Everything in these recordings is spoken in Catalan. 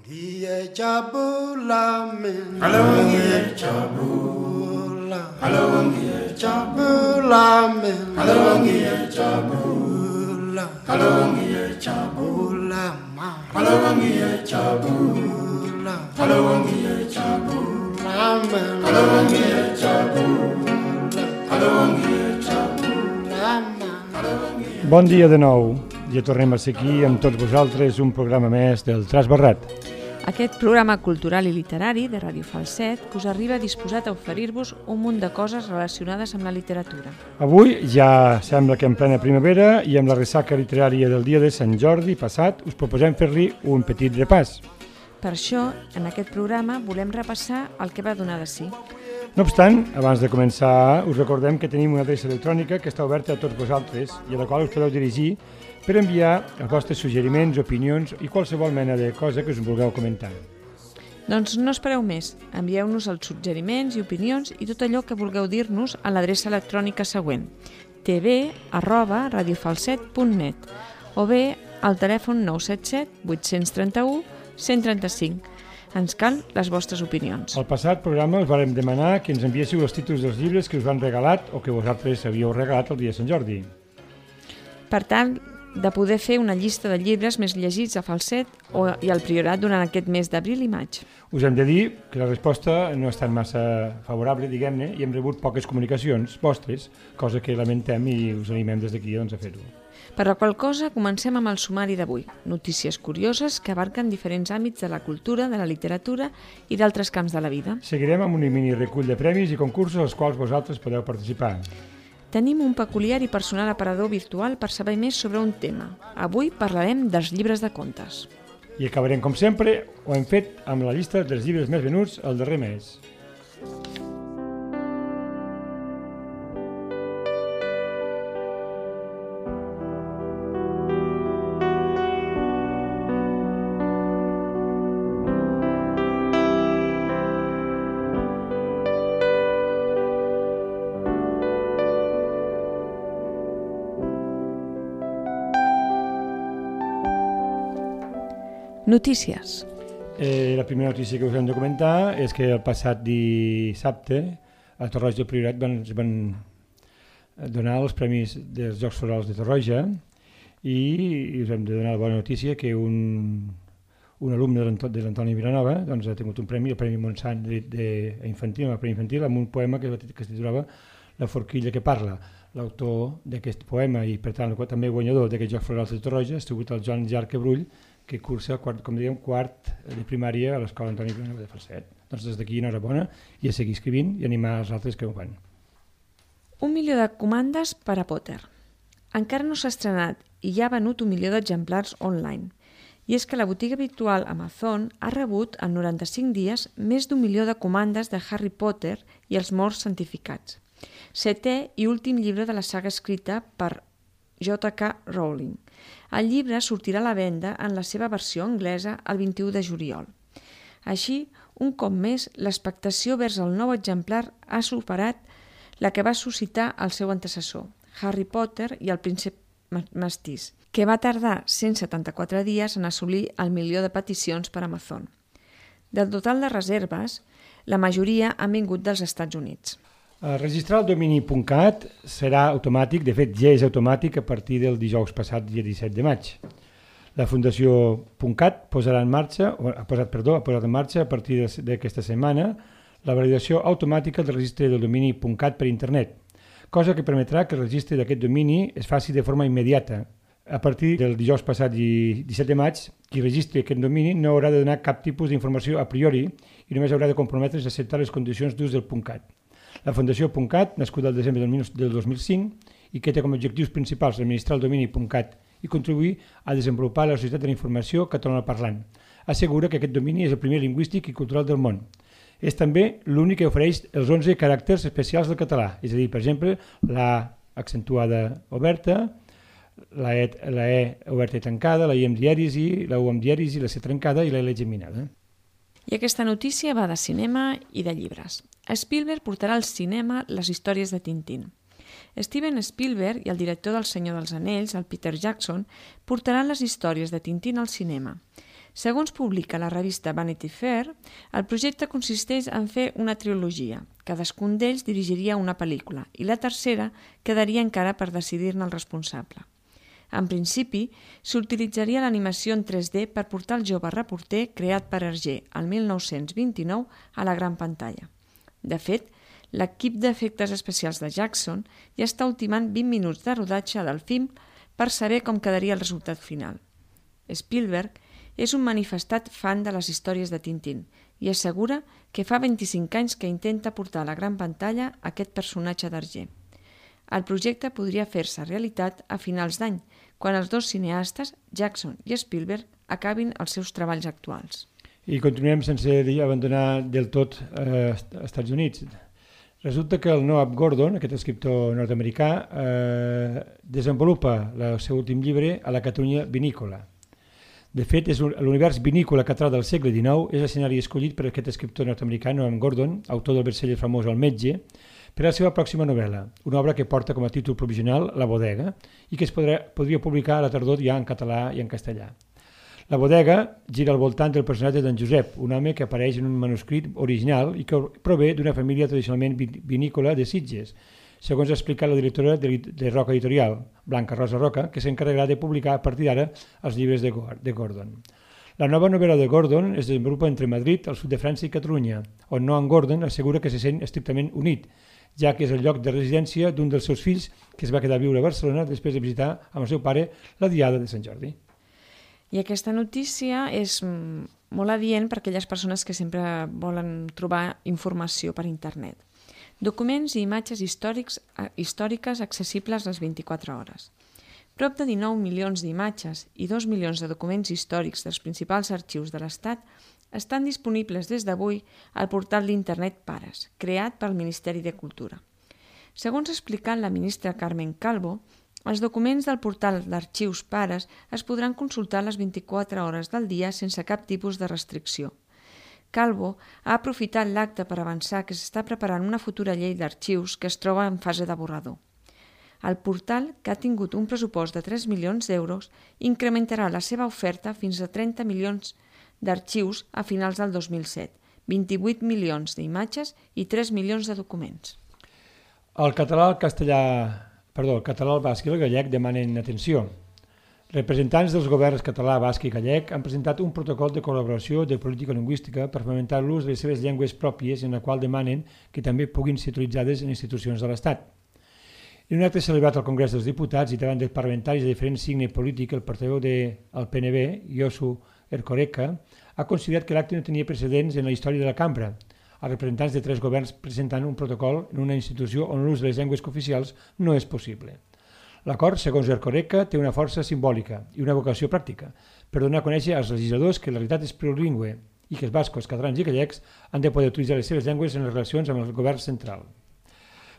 Ngiye jabula mina Hello, ngiye jabula. Hello, ngiye jabula mina Hello, ngiye jabula. Hello, ngiye jabula. ma Hello, ngiye jabula. Hello, ngiye jabula. mina Hello, ngiye jabula. Hello, ngiye jabula. ma Bon dia de nou. Ja tornem a ser aquí amb tots vosaltres un programa més del Trasbarrat. Aquest programa cultural i literari de Ràdio Falset que us arriba disposat a oferir-vos un munt de coses relacionades amb la literatura. Avui ja sembla que en plena primavera i amb la ressaca literària del dia de Sant Jordi passat us proposem fer-li un petit repàs. Per això, en aquest programa volem repassar el que va donar de si. No obstant, abans de començar, us recordem que tenim una adreça electrònica que està oberta a tots vosaltres i a la qual us podeu dirigir per enviar els vostres suggeriments, opinions i qualsevol mena de cosa que us vulgueu comentar. Doncs no espereu més, envieu-nos els suggeriments i opinions i tot allò que vulgueu dir-nos a l'adreça electrònica següent tv@radiofalset.net o bé al telèfon 977 831 135. Ens cal les vostres opinions. Al passat programa us vàrem demanar que ens enviéssiu els títols dels llibres que us han regalat o que vosaltres havíeu regalat el dia de Sant Jordi. Per tant, de poder fer una llista de llibres més llegits a Falset i al Priorat durant aquest mes d'abril i maig. Us hem de dir que la resposta no ha estat massa favorable, diguem-ne, i hem rebut poques comunicacions vostres, cosa que lamentem i us animem des d'aquí doncs, a fer-ho. Per la qual cosa, comencem amb el sumari d'avui. Notícies curioses que abarquen diferents àmbits de la cultura, de la literatura i d'altres camps de la vida. Seguirem amb un mini recull de premis i concursos als quals vosaltres podeu participar. Tenim un peculiar i personal aparador virtual per saber més sobre un tema. Avui parlarem dels llibres de contes. I acabarem, com sempre, ho hem fet amb la llista dels llibres més venuts el darrer mes. Notícies. La primera notícia que us hem de comentar és que el passat dissabte a Torroja del Priorat van donar els premis dels Jocs Florals de Torroja i us hem de donar la bona notícia que un alumne de l'Antoni Vilanova doncs, ha tingut un premi, el Premi Montsant infantil, el Premi Infantil, amb un poema que es titulava La forquilla que parla. L'autor d'aquest poema i, per tant, també guanyador d'aquests Jocs Florals de Torroja ha sigut el Joan Jarque Brull, que cursa, com dèiem, quart de primària a l'Escola Antoni Vilanova de Falset. Doncs des d'aquí, enhorabona, i a seguir escrivint i animar els altres que ho fan. 1 milió de comandes per a Potter. Encara no s'ha estrenat i ja ha venut 1 milió d'exemplars online. I és que la botiga virtual Amazon ha rebut en 95 dies més d'1 milió de comandes de Harry Potter i els morts santificats. 7è i últim llibre de la saga escrita per J.K. Rowling. El llibre sortirà a la venda en la seva versió anglesa el 21 de juliol. Així, un cop més, l'expectació vers el nou exemplar ha superat la que va suscitar el seu antecessor, Harry Potter i el príncep mestís, que va tardar 174 dies en assolir el 1 milió de peticions per Amazon. Del total de reserves, la majoria han vingut dels Estats Units. Registrar el domini .cat serà automàtic, de fet ja és automàtic a partir del dijous passat, dia 17 de maig. La Fundació .cat ha posat en marxa a partir d'aquesta setmana la validació automàtica del registre del domini .cat per internet, cosa que permetrà que el registre d'aquest domini es faci de forma immediata. A partir del dijous passat, 17 de maig, qui registri aquest domini no haurà de donar cap tipus d'informació a priori i només haurà de comprometre's a acceptar les condicions d'ús del .cat. La Fundació .cat, nascuda el desembre del 2005 i que té com a objectius principals administrar el domini .cat i contribuir a desenvolupar la societat de la informació catalanoparlant, assegura que aquest domini és el primer lingüístic i cultural del món. És també l'únic que ofereix els 11 caràcters especials del català, és a dir, per exemple, la accentuada oberta, la E oberta i tancada, la I amb dièresi, la U amb dièresi, la C trencada i la L geminada. I aquesta notícia va de cinema i de llibres. Spielberg portarà al cinema les històries de Tintín. Steven Spielberg i el director del Senyor dels Anells, el Peter Jackson, portaran les històries de Tintín al cinema. Segons publica la revista Vanity Fair, el projecte consisteix en fer una trilogia. Cadascun d'ells dirigiria una pel·lícula i la tercera quedaria encara per decidir-ne el responsable. En principi, s'utilitzaria l'animació en 3D per portar el jove reporter creat per Hergé el 1929 a la gran pantalla. De fet, l'equip d'efectes especials de Jackson ja està ultimant 20 minuts de rodatge del film per saber com quedaria el resultat final. Spielberg és un manifestat fan de les històries de Tintín i assegura que fa 25 anys que intenta portar a la gran pantalla aquest personatge d'Hergé. El projecte podria fer-se realitat a finals d'any, quan els dos cineastes, Jackson i Spielberg, acabin els seus treballs actuals. I continuem sense abandonar del tot als Estats Units. Resulta que el Noah Gordon, aquest escriptor nord-americà, desenvolupa el seu últim llibre a la Catalunya vinícola. De fet, l'univers vinícola català del segle XIX és l'escenari escollit per aquest escriptor nord-americà, Noah Gordon, autor del best-seller famós El metge, per a la seva pròxima novel·la, una obra que porta com a títol provisional La bodega i que es podria publicar a la tardor ja en català i en castellà. La bodega gira al voltant del personatge d'en Josep, un home que apareix en un manuscrit original i que prové d'una família tradicionalment vinícola de Sitges, segons ha explicat la directora de Roca Editorial, Blanca Rosa Roca, que s'encarregarà de publicar a partir d'ara els llibres de Gordon. La nova novel·la de Gordon es desenvolupa entre Madrid, el sud de França i Catalunya, on Noah Gordon assegura que se sent estrictament unit, ja que és el lloc de residència d'un dels seus fills que es va quedar a viure a Barcelona després de visitar amb el seu pare la Diada de Sant Jordi. I aquesta notícia és molt adient per a aquelles persones que sempre volen trobar informació per internet. Documents i imatges històriques accessibles les 24 hores. Prop de 19 milions d'imatges i 2 milions de documents històrics dels principals arxius de l'Estat estan disponibles des d'avui al portal d'internet Pares, creat pel Ministeri de Cultura. Segons ha explicat la ministra Carmen Calvo, els documents del portal d'arxius Pares es podran consultar les 24 hores del dia sense cap tipus de restricció. Calvo ha aprofitat l'acte per avançar que s'està preparant una futura llei d'arxius que es troba en fase de borrador. El portal, que ha tingut un pressupost de 3 milions d'euros, incrementarà la seva oferta fins a 30 milions d'arxius a finals del 2007, 28 milions d'imatges i 3 milions de documents. El català, el basc i el gallec demanen atenció. Representants dels governs català, basc i gallec han presentat un protocol de col·laboració de política lingüística per fomentar l'ús de les seves llengües pròpies, en la qual demanen que també puguin ser utilitzades en institucions de l'Estat. En un acte celebrat al Congrés dels Diputats i davant dels parlamentaris de diferent signe polític, el portaveu del PNB, Josu Erkoreka, ha considerat que l'acte no tenia precedents en la història de la cambra. Els representants de 3 governs presentant un protocol en una institució on l'ús de les llengües cooficials no és possible. L'acord, segons Erkoreka, té una força simbòlica i una vocació pràctica per donar a conèixer als legisladors que la realitat és plurilingüe i que els bascos, catalans i gallecs han de poder utilitzar les seves llengües en les relacions amb el govern central.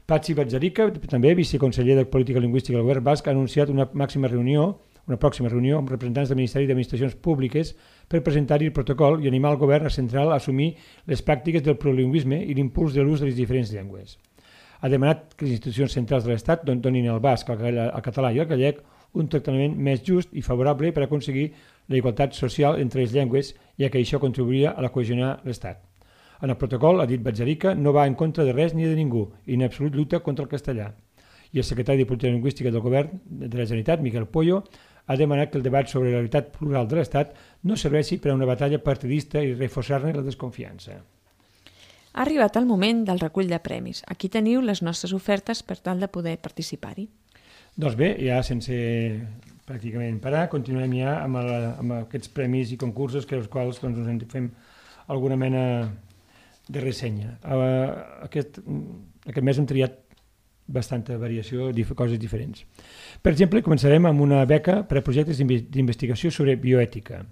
Patxi Batzarica, també viceconseller de Política Lingüística del govern basc, ha anunciat una pròxima reunió amb representants del Ministeri d'Administracions Públiques per presentar-hi el protocol i animar el govern central a assumir les pràctiques del plurilingüisme i l'impuls de l'ús de les diferents llengües. Ha demanat que les institucions centrals de l'Estat donin al basc, al català i al gallec un tractament més just i favorable per aconseguir la igualtat social entre les llengües, ja que això contribuiria a la cohesionar l'Estat. En el protocol, ha dit Batzarica, no va en contra de res ni de ningú i en absolut lluita contra el castellà. I el secretari de Política Lingüística del Govern de la Generalitat, Miquel Pollo, ha demanat que el debat sobre la realitat plural de l'Estat no serveixi per a una batalla partidista i reforçar-ne la desconfiança. Ha arribat el moment del recull de premis. Aquí teniu les nostres ofertes per tal de poder participar-hi. Doncs bé, ja sense pràcticament parar, continuem ja amb aquests premis i concursos que els quals ens fem alguna mena de ressenya. Aquest mes hem triat bastanta variació, coses diferents. Per exemple, començarem amb una beca per a projectes d'investigació sobre bioètica.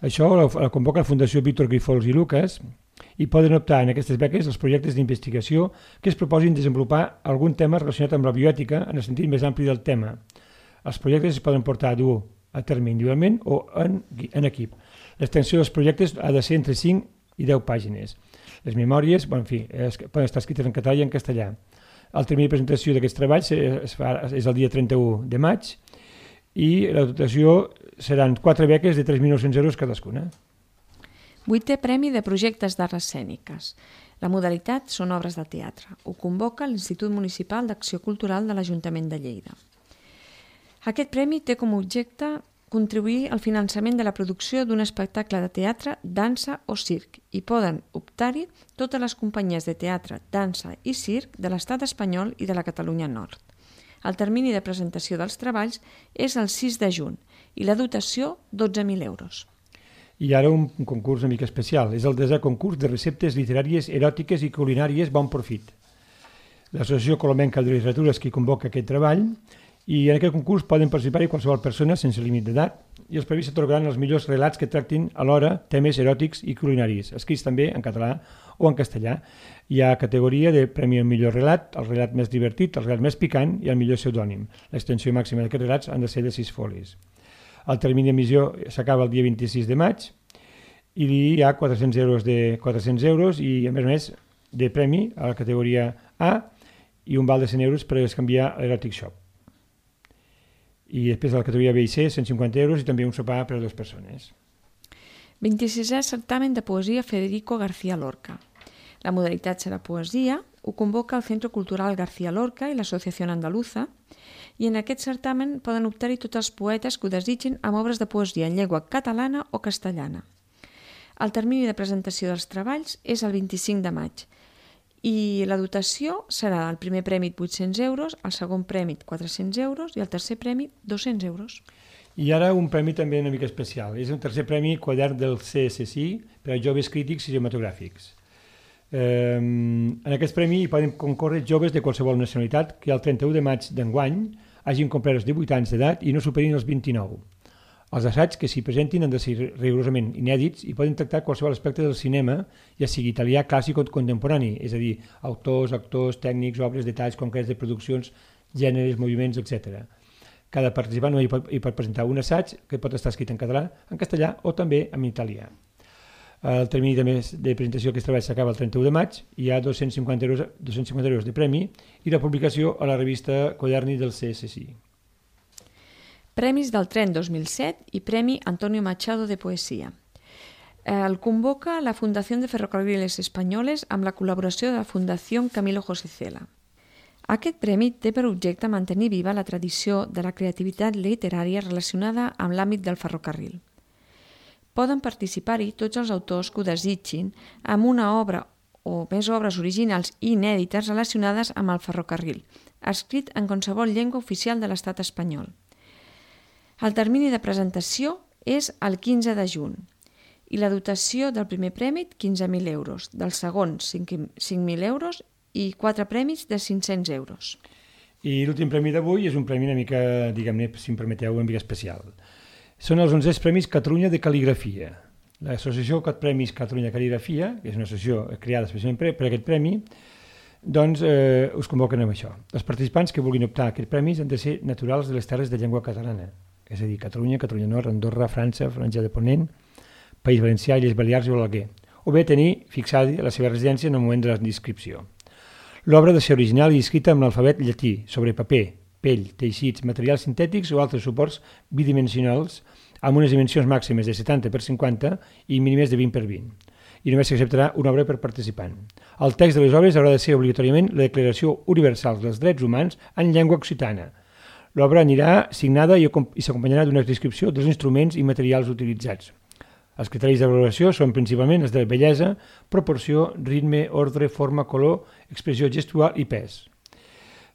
Això la convoca la Fundació Víctor Grifols i Lucas i poden optar en aquestes beques els projectes d'investigació que es proposin desenvolupar algun tema relacionat amb la bioètica en el sentit més ampli del tema. Els projectes es poden portar a dur a terme individualment o en equip. L'extensió dels projectes ha de ser entre 5 i 10 pàgines. Les memòries, poden estar escrites en català i en castellà. El termini de presentació d'aquests treballs és el dia 31 de maig i la dotació seran 4 beques de 3.900 euros cadascuna. 8è Premi de Projectes d'Arts Escèniques. La modalitat són obres de teatre. Ho convoca l'Institut Municipal d'Acció Cultural de l'Ajuntament de Lleida. Aquest premi té com a objecte contribuir al finançament de la producció d'un espectacle de teatre, dansa o circ i poden optar-hi totes les companyies de teatre, dansa i circ de l'Estat espanyol i de la Catalunya Nord. El termini de presentació dels treballs és el 6 de juny i la dotació 12.000 euros. I ara un concurs una mica especial. És el 10è concurs de receptes literàries, eròtiques i culinàries Bon Profit. L'Associació Colomenca de Literatura és qui convoca aquest treball i en aquest concurs poden participar-hi qualsevol persona sense límit d'edat i els premis s'atorgaran els millors relats que tractin alhora temes eròtics i culinaris, escrits també en català o en castellà. Hi ha categoria de premi al millor relat, el relat més divertit, el relat més picant i el millor pseudònim. L'extensió màxima d'aquests relats han de ser de 6 folis. El termini d'emissió s'acaba el dia 26 de maig i hi ha 400 euros i, a més, de premi a la categoria A i un val de 100 euros per canviar a l'Erotic Shop. I després a la categoria B i C, 150 euros i també un sopar per a 2 persones. 26è Certamen de Poesia Federico García Lorca. La modalitat serà poesia, ho convoca el Centro Cultural García Lorca i l'Associació Andaluza, i en aquest certamen poden optar-hi tots els poetes que ho desitgin amb obres de poesia en llengua catalana o castellana. El termini de presentació dels treballs és el 25 de maig i la dotació serà el primer premi 800 euros, el segon premi 400 euros i el tercer premi 200 euros. I ara un premi també una mica especial. És un tercer premi quadern del CSI per a joves crítics cinematogràfics. En aquest premi hi poden concórrer joves de qualsevol nacionalitat que el 31 de maig d'enguany hagin complert els 18 anys d'edat i no superin els 29. Els assaigs que s'hi presentin han de ser rigorosament inèdits i poden tractar qualsevol aspecte del cinema, ja sigui italià, clàssic o contemporani, és a dir, autors, actors, tècnics, obres, detalls concrets de produccions, gèneres, moviments, etc. Cada participant hi pot presentar un assaig que pot estar escrit en català, en castellà o també en italià. El termini de presentació d'aquest treball s'acaba el 31 de maig, hi ha 250 euros de premi i la publicació a la revista Quaderni del CSI. Premis del Tren 2007 i Premi Antonio Machado de Poesia. El convoca la Fundació de Ferrocarriles Espanyoles amb la col·laboració de la Fundació Camilo José Cela. Aquest premi té per objecte mantenir viva la tradició de la creativitat literària relacionada amb l'àmbit del ferrocarril. Poden participar-hi tots els autors que ho desitgin amb una obra o més obres originals i inèdites relacionades amb el ferrocarril, escrit en qualsevol llengua oficial de l'Estat espanyol. El termini de presentació és el 15 de juny i la dotació del primer premi 15.000 euros, del segon 5.000 euros i 4 premis de 500 euros. I l'últim premi d'avui és un premi una mica, diguem-ne, si em permeteu, una mica especial. Són els 11è Premis Catalunya de Cal·ligrafia. L'associació Premis Catalunya de Cal·ligrafia, que és una associació creada especialment per aquest premi, doncs us convoquen amb això. Els participants que vulguin optar a aquests premis han de ser naturals de les terres de llengua catalana, és a dir, Catalunya, Catalunya Nord, Andorra, França, Franja de Ponent, País Valencià, Illes Balears i Balaguer, o bé tenir fixada la seva residència en el moment de la inscripció. L'obra ha de ser original i escrita amb l'alfabet llatí, sobre paper, pell, teixits, materials sintètics o altres suports bidimensionals amb unes dimensions màximes de 70 per 50 i mínimes de 20 per 20. I només s'acceptarà una obra per participant. El text de les obres haurà de ser obligatòriament la Declaració Universal dels Drets Humans en llengua occitana. L'obra anirà signada i s'acompanyarà d'una descripció dels instruments i materials utilitzats. Els criteris de valoració són principalment els de bellesa, proporció, ritme, ordre, forma, color, expressió gestual i pes.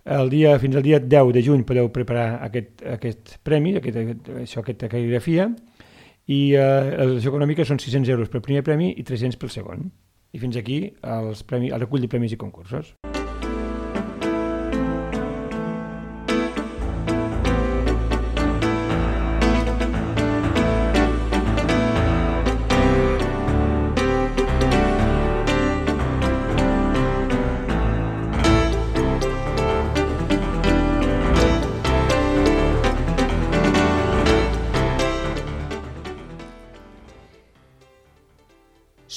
Fins al dia 10 de juny podeu preparar aquest premi, aquesta cal·ligrafia, i la dotació econòmica són 600 euros pel primer premi i 300 pel segon. I fins aquí el recull de premis i concursos.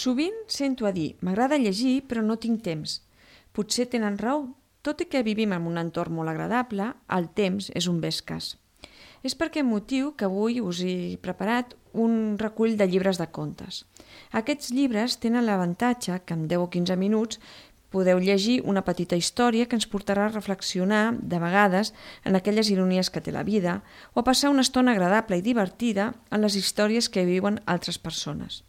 Sovint sento a dir, m'agrada llegir però no tinc temps. Potser tenen raó, tot i que vivim en un entorn molt agradable, el temps és un bé escàs. És per aquest motiu que avui us he preparat un recull de llibres de contes. Aquests llibres tenen l'avantatge que en 10 o 15 minuts podeu llegir una petita història que ens portarà a reflexionar, de vegades, en aquelles ironies que té la vida o a passar una estona agradable i divertida en les històries que viuen altres persones.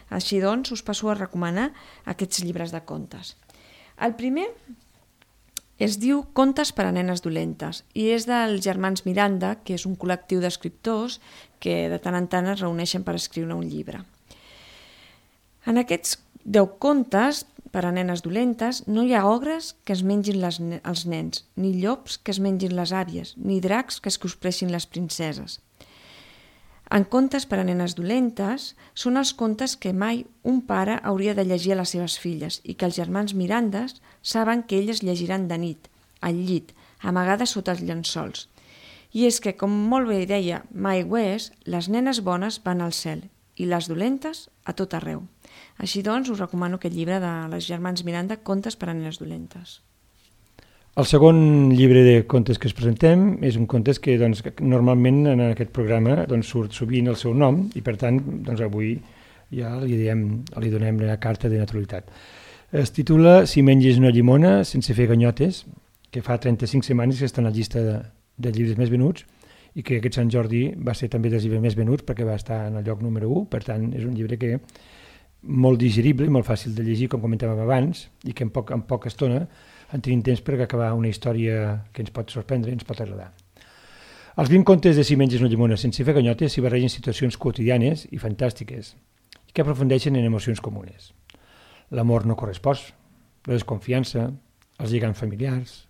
Així doncs, us passo a recomanar aquests llibres de contes. El primer es diu Contes per a nenes dolentes i és dels germans Miranda, que és un col·lectiu d'escriptors que de tant en tant es reuneixen per escriure un llibre. En aquests 10 contes per a nenes dolentes no hi ha ogres que es mengin els nens, ni llops que es mengin les àvies, ni dracs que es cospressin les princeses. En Contes per a nenes dolentes són els contes que mai un pare hauria de llegir a les seves filles i que els germans Mirandes saben que elles llegiran de nit, al llit, amagades sota els llençols. I és que, com molt bé deia Mike West, les nenes bones van al cel i les dolentes a tot arreu. Així doncs, us recomano aquest llibre de les germans Miranda, Contes per a nenes dolentes. El segon llibre de contes que us presentem és un contes que normalment en aquest programa surt sovint el seu nom i per tant avui ja li donem la carta de naturalitat. Es titula Si menges una llimona sense fer ganyotes, que fa 35 setmanes que està en la llista de llibres més venuts i que aquest Sant Jordi va ser també dels llibres més venuts perquè va estar en el lloc número 1, per tant és un llibre que molt digerible i molt fàcil de llegir, com comentàvem abans, i que en poca estona en tenim temps per acabar una història que ens pot sorprendre i ens pot agradar. Els 20 contes de Si menges una llimona sense fer ganyotes s'hi barregen situacions quotidianes i fantàstiques i que aprofundeixen en emocions comunes. L'amor no correspost, la desconfiança, els lligams familiars,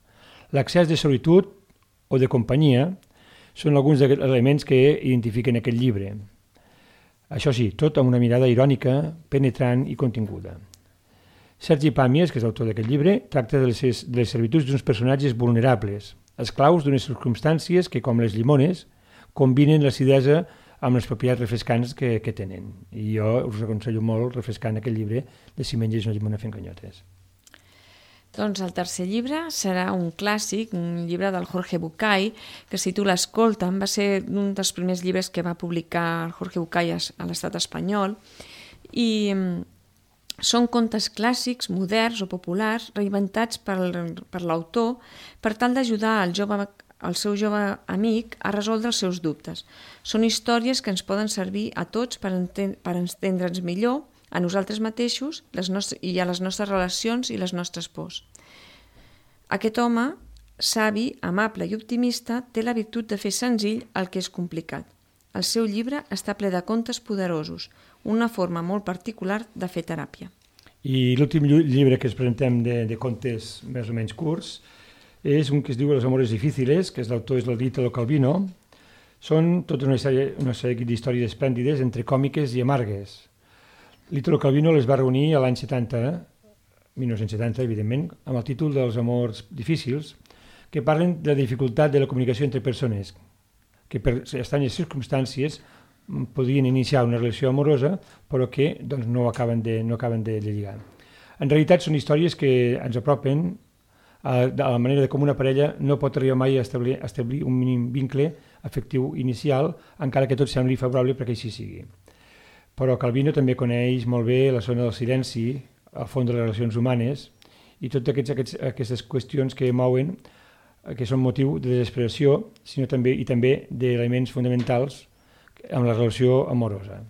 l'accés de solitud o de companyia són alguns dels elements que identifiquen aquest llibre. Això sí, tot amb una mirada irònica, penetrant i continguda. Sergi Pàmies, que és l'autor d'aquest llibre, tracta de les servituds d'uns personatges vulnerables, esclaus d'unes circumstàncies que, com les llimones, combinen l'acidesa amb les propietats refrescants que tenen. I jo us aconsello molt refrescant aquest llibre de Si menges una llimona fent ganyotes. Doncs el tercer llibre serà un clàssic, un llibre del Jorge Bucay, que es titula Escolta'm, va ser un dels primers llibres que va publicar el Jorge Bucay a l'estat espanyol, i són contes clàssics, moderns o populars, reinventats per l'autor per tal d'ajudar el seu jove amic a resoldre els seus dubtes. Són històries que ens poden servir a tots per entendre'ns millor, a nosaltres mateixos i a les nostres relacions i les nostres pors. Aquest home, savi, amable i optimista, té la virtut de fer senzill el que és complicat. El seu llibre està ple de contes poderosos, una forma molt particular de fer teràpia. I l'últim llibre que us presentem de contes més o menys curts és un que es diu Los amores difíciles, que l'autor és l'Ítalo Calvino. Són tota una sèrie d'històries esplèndides entre còmiques i amargues. L'Ítalo Calvino les va reunir a l'any 1970, evidentment, amb el títol dels amors difícils, que parlen de la dificultat de la comunicació entre persones, que per estranyes circumstàncies podrien iniciar una relació amorosa, però que no acaben de lligar. En realitat són històries que ens apropen a la manera de com una parella no pot arribar mai a establir un mínim vincle afectiu inicial, encara que tot sembli favorable perquè així sigui. Però Calvino també coneix molt bé la zona del silenci, el fons de les relacions humanes i totes aquestes qüestions que mouen, que són motiu de desesperació, sinó també d'elements fonamentals amb la relació amorosa.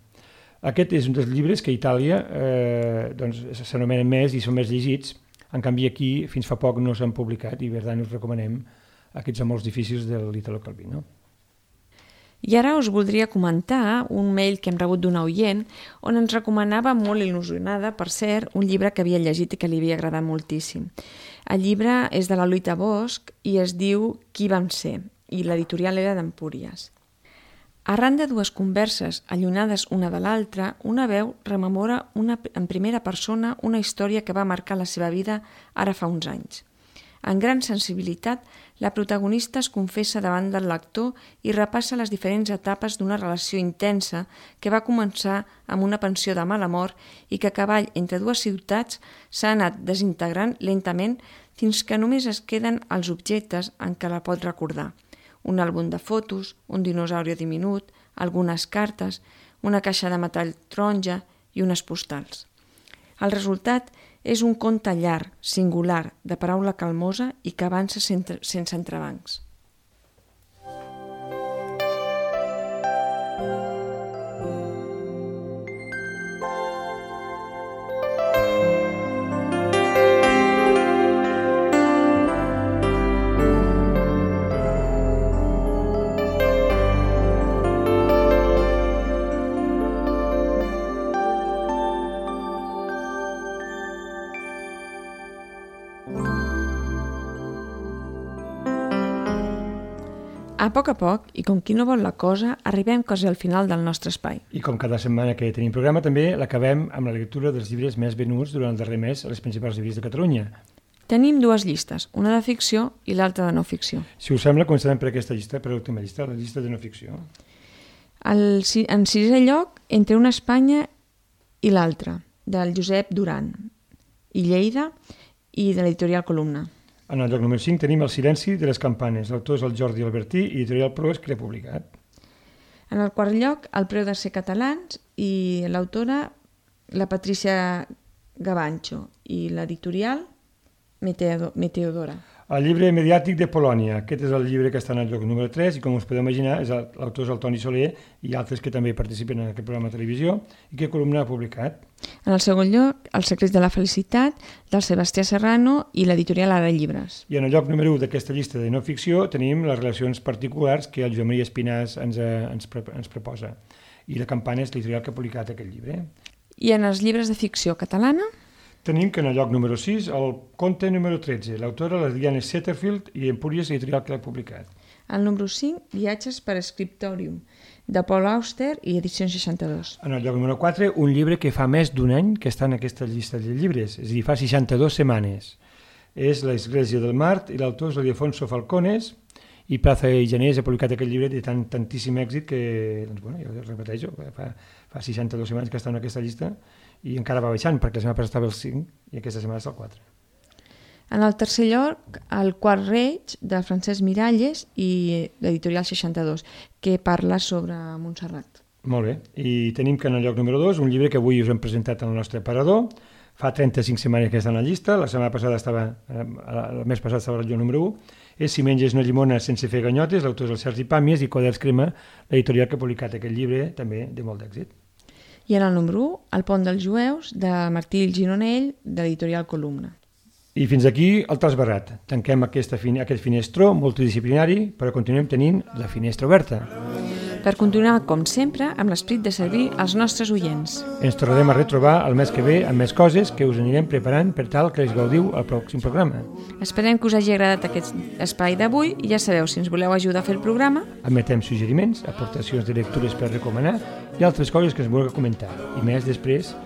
Aquest és un dels llibres que a Itàlia s'anomenen més i són més llegits, en canvi aquí fins fa poc no s'han publicat i per tant us recomanem aquests amors difícils de l'Ítalo Calvino. I ara us voldria comentar un mail que hem rebut d'un oient on ens recomanava, molt il·lusionada, per cert, un llibre que havia llegit i que li havia agradat moltíssim. El llibre és de la Loita Bosch i es diu Qui vam ser, i l'editorial era d'Empúries. Arran de dues converses allunyades una de l'altra, una veu rememora en primera persona una història que va marcar la seva vida ara fa uns anys. En gran sensibilitat, la protagonista es confessa davant del lector i repassa les diferents etapes d'una relació intensa que va començar amb una pensió de mal amor i que a cavall entre dues ciutats s'ha anat desintegrant lentament fins que només es queden els objectes en què la pot recordar. un àlbum de fotos, un dinosauri diminut, algunes cartes, una caixa de metall taronja i unes postals. El resultat és un conte llarg, singular, de paraula calmosa i que avança sense entrebancs. A poc, i com qui no vol la cosa, arribem quasi al final del nostre espai. I com cada setmana que tenim programa, també l'acabem amb la lectura dels llibres més venuts durant el darrer mes a les principals llibreries de Catalunya. Tenim dues llistes, una de ficció i l'altra de no ficció. Si us sembla, començarem per aquesta llista, per l'última llista, la llista de no ficció. En sisè lloc, Entre una Espanya i l'altra, del Josep Duran i Lleida i de l'editorial Columna. En el lloc número 5 tenim El silenci de les campanes. L'autor és el Jordi Albertí i editorial Proes, que l'ha publicat. En el quart lloc, El preu de ser catalans i l'autora, la Patricia Gavancho i l'editorial Meteodora. El llibre mediàtic de Polònia. Aquest és el llibre que està en el lloc número 3 i, com us podeu imaginar, l'autor és el Toni Soler i altres que també participen en aquest programa de televisió i que Columna ha publicat. En el segon lloc, Els secrets de la felicitat, del Sebastià Serrano i l'editorial Ara Llibres. I en el lloc número 1 d'aquesta llista de no ficció tenim les relacions particulars que el Joan Maria Espinàs ens proposa. I la Campana és l'editorial que ha publicat aquest llibre. I en els llibres de ficció catalana? Tenim que en el lloc número 6 el conte número 13, l'autora la Diana Setterfield i Empúries, editorial que l'ha publicat. El número 5, Viatges per Scriptorium, de Paul Auster i edicions 62. En el lloc número 4, un llibre que fa més d'un any que està en aquesta llista de llibres, és a dir, fa 62 setmanes. És L'Església del Mart i l'autor és l'Ildefonso Falcones i Plaza i Janés ha publicat aquest llibre de tantíssim èxit que, doncs, bueno, jo repeteixo, fa 62 setmanes que està en aquesta llista i encara va baixant, perquè la setmana passada estava el 5 i aquesta setmana és el 4. En el tercer lloc, El quart reig, de Francesc Miralles i l'editorial 62, que parla sobre Montserrat. Molt bé, i tenim que en el lloc número 2, un llibre que avui us hem presentat al nostre aparador, fa 35 setmanes que està en la llista, la setmana passada el mes passat estava al lloc número 1, és Si menges una llimona sense fer ganyotes, l'autor és el Sergi Pàmies i Quaderns Crema, l'editorial que ha publicat aquest llibre, també de molt d'èxit. I en el número 1, El pont dels jueus, de Martí Gironell, de l'editorial Columna. I fins aquí el trasbarrat. Tanquem aquest finestró multidisciplinari, però continuem tenint la finestra oberta. Per continuar, com sempre, amb l'esperit de servir als nostres oients. Ens tornarem a retrobar el mes que ve amb més coses que us anirem preparant per tal que els gaudiu al pròxim programa. Esperem que us hagi agradat aquest espai d'avui i ja sabeu, si ens voleu ajudar a fer el programa, admetem suggeriments, aportacions de lectures per recomanar i altres coses que ens vulgueu comentar. I més després,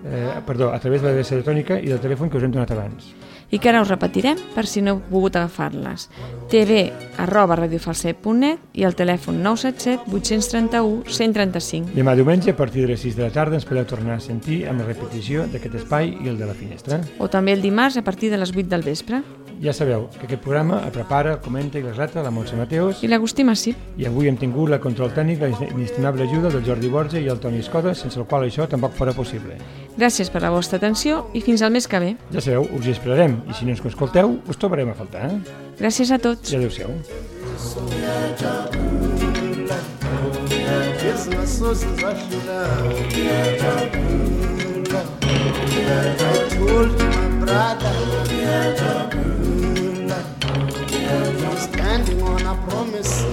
a través de l'adreça electrònica i del telèfon que us hem donat abans. I que ara us repetirem per si no heu pogut agafar-les. tv@radiofalset.net i el telèfon 977 831 135. Demà diumenge, a partir de les 6 de la tarda, ens podeu tornar a sentir amb la repetició d'aquest espai i el de la finestra. O també el dimarts a partir de les 8 del vespre. Ja sabeu que aquest programa el prepara, el comenta i el relata la Montse Mateos. I l'Agustí Massip. I avui hem tingut la control tècnic, la inestimable ajuda del Jordi Borja i el Toni Escoda, sense el qual això tampoc fora possible. Gràcies per la vostra atenció i fins al mes que ve. Ja sabeu, us hi esperarem i si no ens escolteu, us trobarem a faltar. Gràcies a tots. I adéu-siau. I told my brother, standing on a promise.